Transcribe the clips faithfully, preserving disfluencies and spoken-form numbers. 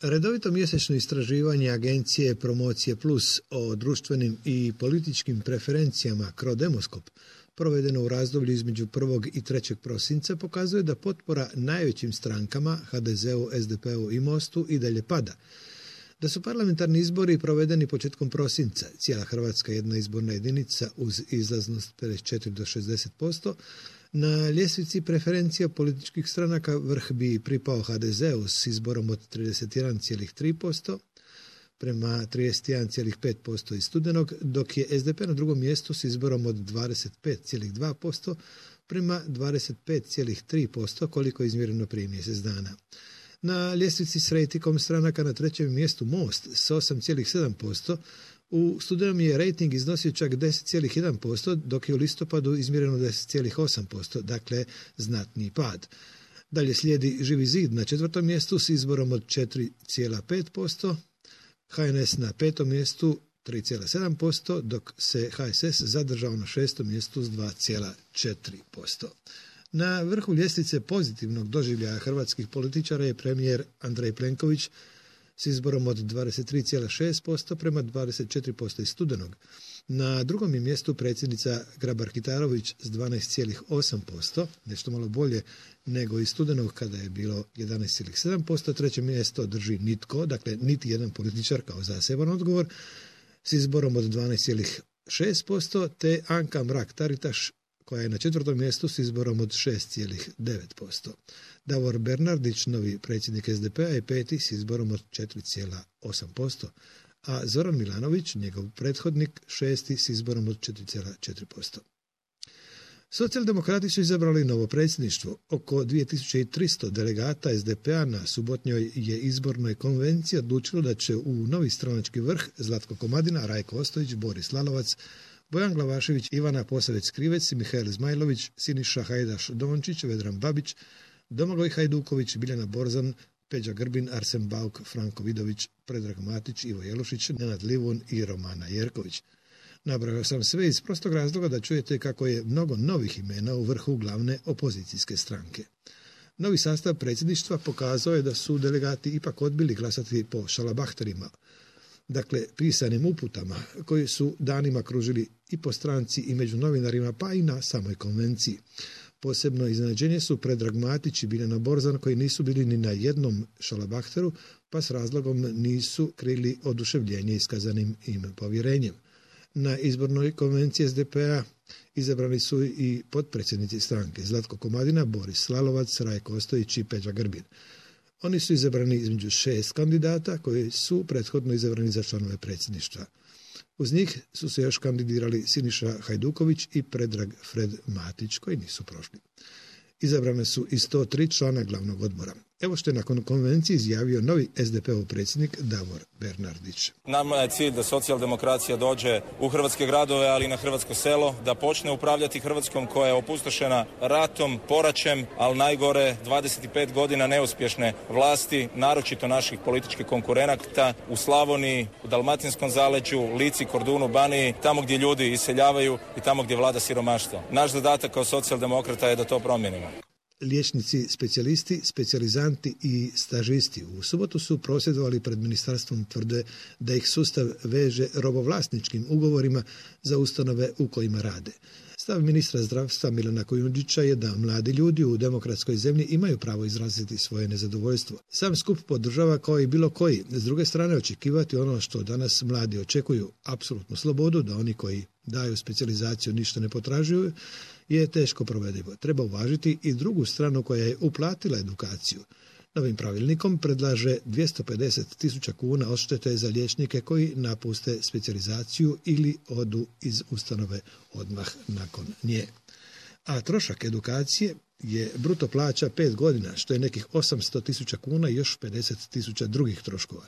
Redovito mjesečno istraživanje agencije Promocije Plus o društvenim i političkim preferencijama Crodemoskop, provedeno u razdoblju između prvog i trećeg prosinca, pokazuje da potpora najvećim strankama, ha de zeu, es de pe-u i mostu, i dalje pada. Da su parlamentarni izbori provedeni početkom prosinca, cijela Hrvatska jedna izborna jedinica uz izlaznost pedeset četiri do šezdeset posto, na ljestvici preferencija političkih stranaka vrh bi pripao ha de zeu s izborom od trideset jedan zarez tri posto prema trideset jedan zarez pet posto iz studenog, dok je es de pe na drugom mjestu s izborom od dvadeset pet zarez dva posto prema dvadeset pet zarez tri posto koliko je izmjereno prije mjesec dana. Na ljestvici s rejtingom stranaka na trećem mjestu Most s osam zarez sedam posto, u studenom je rejting iznosio čak deset zarez jedan posto, dok je u listopadu izmjereno deset zarez osam posto, dakle znatniji pad. Dalje slijedi Živi zid na četvrtom mjestu s izborom od četiri zarez pet posto, ha en es na petom mjestu tri zarez sedam posto, dok se ha es es zadržao na šestom mjestu s dva zarez četiri posto. Na vrhu ljestvice pozitivnog doživljaja hrvatskih političara je premijer Andrej Plenković s izborom od dvadeset tri zarez šest posto prema dvadeset četiri posto iz studenog. Na drugom je mjestu predsjednica Grabar-Kitarović s dvanaest zarez osam posto, nešto malo bolje nego iz studenog kada je bilo jedanaest zarez sedam posto. Treće mjesto drži nitko, dakle niti jedan političar kao zaseban odgovor, s izborom od dvanaest zarez šest posto, te Anka Mrak-Taritaš koja je na četvrtom mjestu s izborom od šest zarez devet posto. Davor Bernardić, novi predsjednik es de pe-a, je peti s izborom od četiri zarez osam posto, a Zoran Milanović, njegov prethodnik, šesti s izborom od četiri zarez četiri posto. Socijaldemokrati su izabrali novo predsjedništvo. Oko dvije tisuće tristo delegata es de pe-a na subotnjoj je izbornoj konvenciji odlučilo da će u novi stranački vrh Zlatko Komadina, Rajko Ostojić, Boris Lalovac, Bojan Glavašević, Ivana Posavec-Krivec, Mihael Zmajlović, Siniša Hajdaš-Dončić, Vedran Babić, Domagoj Hajduković, Biljana Borzan, Peđa Grbin, Arsen Bauk, Franko Vidović, Predrag Matić, Ivo Jelušić, Nenad Livun i Romana Jerković. Nabrojao sam sve iz prostog razloga da čujete kako je mnogo novih imena u vrhu glavne opozicijske stranke. Novi sastav predsjedništva pokazao je da su delegati ipak odbili glasati po šalabahterima, dakle pisanim uputama koji su danima kružili i po stranci i među novinarima, pa i na samoj konvenciji. Posebno iznenađenje su Predrag Matić i Biljana Borzan, koji nisu bili ni na jednom šalabahteru, pa s razlogom nisu krili oduševljenje iskazanim im povjerenjem. Na izbornoj konvenciji es de pe-a izabrani su i potpredsjednici stranke Zlatko Komadina, Boris Lalovac, Rajko Ostojić i Peđa Grbin. Oni su izabrani između šest kandidata koji su prethodno izabrani za članove predsjedništva. Uz njih su se još kandidirali Siniša Hajduković i Predrag Fred Matić, koji nisu prošli. Izabrane su i sto tri člana glavnog odbora. Evo što je nakon konvencije izjavio novi es de pe-ov predsjednik Davor Bernardić. Nama je cilj da socijaldemokracija dođe u hrvatske gradove, ali i na hrvatsko selo, da počne upravljati Hrvatskom koja je opustošena ratom, poraćem, ali najgore dvadeset pet godina neuspješne vlasti, naročito naših političkih konkurenata u Slavoniji, u Dalmatinskom zaleđu, Lici, Kordunu, Baniji, tamo gdje ljudi iseljavaju i tamo gdje vlada siromaštvo. Naš zadatak kao socijaldemokrata je da to promijenimo. Liječnici, specijalisti, specijalizanti i stažisti u subotu su prosvjedovali pred ministarstvom, tvrde da ih sustav veže robovlasničkim ugovorima za ustanove u kojima rade. Stav ministra zdravstva Milana Kujundžića je da mladi ljudi u demokratskoj zemlji imaju pravo izraziti svoje nezadovoljstvo. Sam skup podržava kao i bilo koji. S druge strane, očekivati ono što danas mladi očekuju, apsolutnu slobodu, da oni koji daju specijalizaciju ništa ne potražuju, je teško provedivo. Treba uvažiti i drugu stranu koja je uplatila edukaciju. Novim pravilnikom predlaže dvjesto pedeset tisuća kuna odštete za liječnike koji napuste specijalizaciju ili odu iz ustanove odmah nakon nje. A trošak edukacije je bruto plaća pet godina, što je nekih osamsto tisuća kuna i još pedeset tisuća drugih troškova.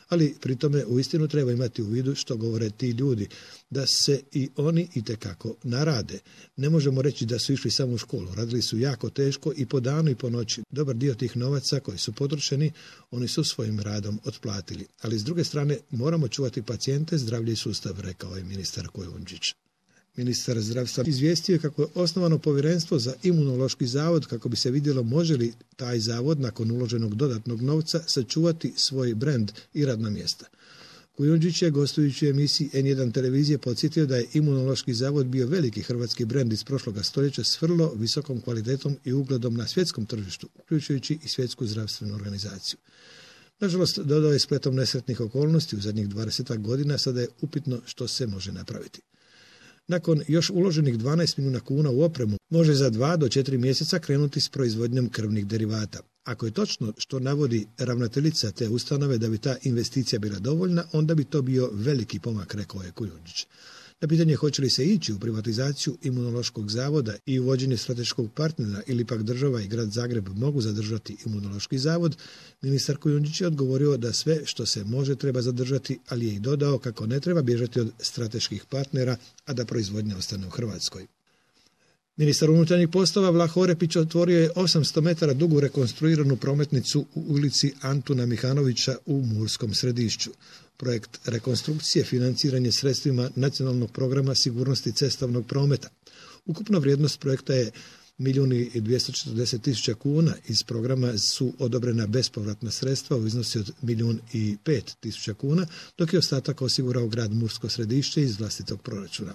Ali pri tome uistinu treba imati u vidu što govore ti ljudi, da se i oni itekako narade. Ne možemo reći da su išli samo u školu, radili su jako teško i po danu i po noći. Dobar dio tih novaca koji su potrošeni, oni su svojim radom otplatili. Ali s druge strane moramo čuvati pacijente, zdravlje i sustav, rekao je ministar Kujundžić. Ministar zdravstva izvijestio je kako je osnovano povjerenstvo za Imunološki zavod kako bi se vidjelo može li taj zavod nakon uloženog dodatnog novca sačuvati svoj brend i radna mjesta. Kujundžić je gostujući u emisiji en jedan televizije podsjetio da je Imunološki zavod bio veliki hrvatski brend iz prošloga stoljeća s vrlo visokom kvalitetom i ugledom na svjetskom tržištu, uključujući i svjetsku zdravstvenu organizaciju. Nažalost, dodao je spletom nesretnih okolnosti u zadnjih dvadesetak godina, sada je upitno što se može napraviti. Nakon još uloženih dvanaest milijuna kuna u opremu, može za dva do četiri mjeseca krenuti s proizvodnjom krvnih derivata. Ako je točno što navodi ravnateljica te ustanove da bi ta investicija bila dovoljna, onda bi to bio veliki pomak, rekao je Kujundžić. Na pitanje hoće li se ići u privatizaciju Imunološkog zavoda i uvođenje strateškog partnera ili pak država i grad Zagreb mogu zadržati Imunološki zavod, ministar Kujundžić je odgovorio da sve što se može treba zadržati, ali je i dodao kako ne treba bježati od strateških partnera, a da proizvodnja ostane u Hrvatskoj. Ministar unutarnjih poslova Vlaho Orepić otvorio je osamsto metara dugu rekonstruiranu prometnicu u ulici Antuna Mihanovića u Murskom Središću. Projekt rekonstrukcije financiran je sredstvima Nacionalnog programa sigurnosti cestovnog prometa. Ukupna vrijednost projekta je milijun i dvjesto četrdeset tisuća kuna. Iz programa su odobrena bespovratna sredstva u iznosi od milijun i pet tisuća kuna, dok je ostatak osigurao grad Mursko Središće iz vlastitog proračuna.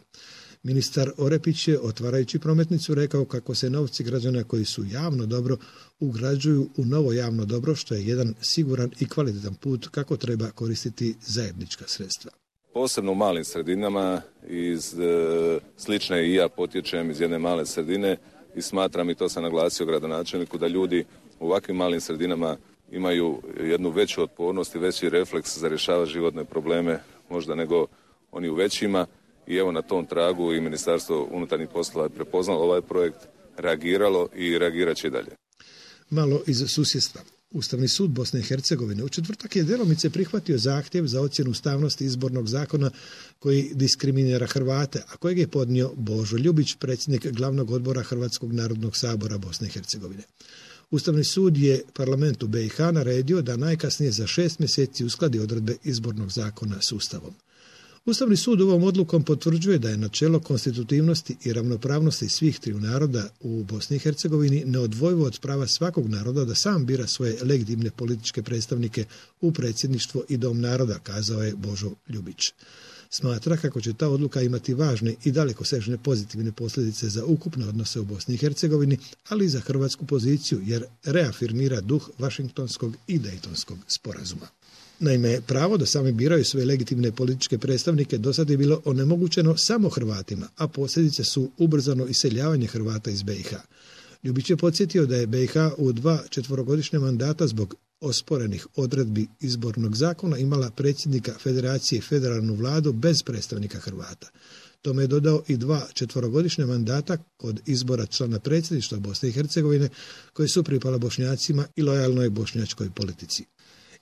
Ministar Orepić je, otvarajući prometnicu, rekao kako se novci građana koji su javno dobro ugrađuju u novo javno dobro, što je jedan siguran i kvalitetan put kako treba koristiti zajednička sredstva. Posebno u malim sredinama, iz e, slične i ja potječem iz jedne male sredine i smatram, i to sam naglasio gradonačelniku, da ljudi u ovakvim malim sredinama imaju jednu veću otpornost i veći refleks za rješavati životne probleme možda nego oni u većima. I evo na tom tragu i Ministarstvo unutarnjih poslova je prepoznalo ovaj projekt, reagiralo i reagirat će i dalje. Malo iz susjedstva. Ustavni sud Bosne i Hercegovine u četvrtak je djelomice prihvatio zahtjev za ocjenu ustavnosti izbornog zakona koji diskriminira Hrvate, a kojeg je podnio Božo Ljubić, predsjednik glavnog odbora Hrvatskog narodnog sabora Bosne i Hercegovine. Ustavni sud je parlamentu be i ha naredio da najkasnije za šest mjeseci uskladi odredbe izbornog zakona s Ustavom. Ustavni sud ovom odlukom potvrđuje da je načelo konstitutivnosti i ravnopravnosti svih triju naroda u Bosni i Hercegovini neodvojivo od prava svakog naroda da sam bira svoje legitimne političke predstavnike u predsjedništvo i dom naroda, kazao je Božo Ljubić. Smatra kako će ta odluka imati važne i dalekosežne pozitivne posljedice za ukupne odnose u Bosni i Hercegovini, ali i za hrvatsku poziciju, jer reafirmira duh Vašingtonskog i Dejtonskog sporazuma. Naime, pravo da sami biraju svoje legitimne političke predstavnike do sad je bilo onemogućeno samo Hrvatima, a posljedice su ubrzano iseljavanje Hrvata iz be i ha. Ljubić je podsjetio da je be i ha u dva četverogodišnja mandata zbog osporenih odredbi izbornog zakona imala predsjednika Federacije i federalnu vladu bez predstavnika Hrvata. Tome je dodao i dva četverogodišnja mandata kod izbora člana predsjedništva Bosne i Hercegovine koji su pripala Bošnjacima i lojalnoj bošnjačkoj politici.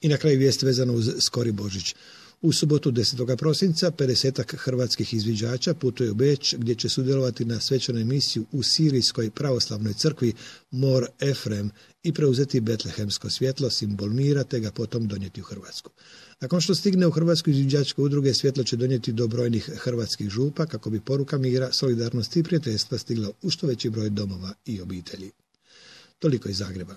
I na kraju vijest vezana uz skori Božić. U subotu desetog prosinca pedesetak hrvatskih izviđača putuje u Beč gdje će sudjelovati na svečanoj misiji u Sirijskoj pravoslavnoj crkvi Mor Efrem i preuzeti betlehemsko svjetlo, simbol mira, te ga potom donijeti u Hrvatsku. Nakon što stigne u Hrvatsku, izviđačke udruge svjetlo će donijeti do brojnih hrvatskih župa kako bi poruka mira, solidarnosti i prijateljstva stigla u što veći broj domova i obitelji. Toliko iz Zagreba.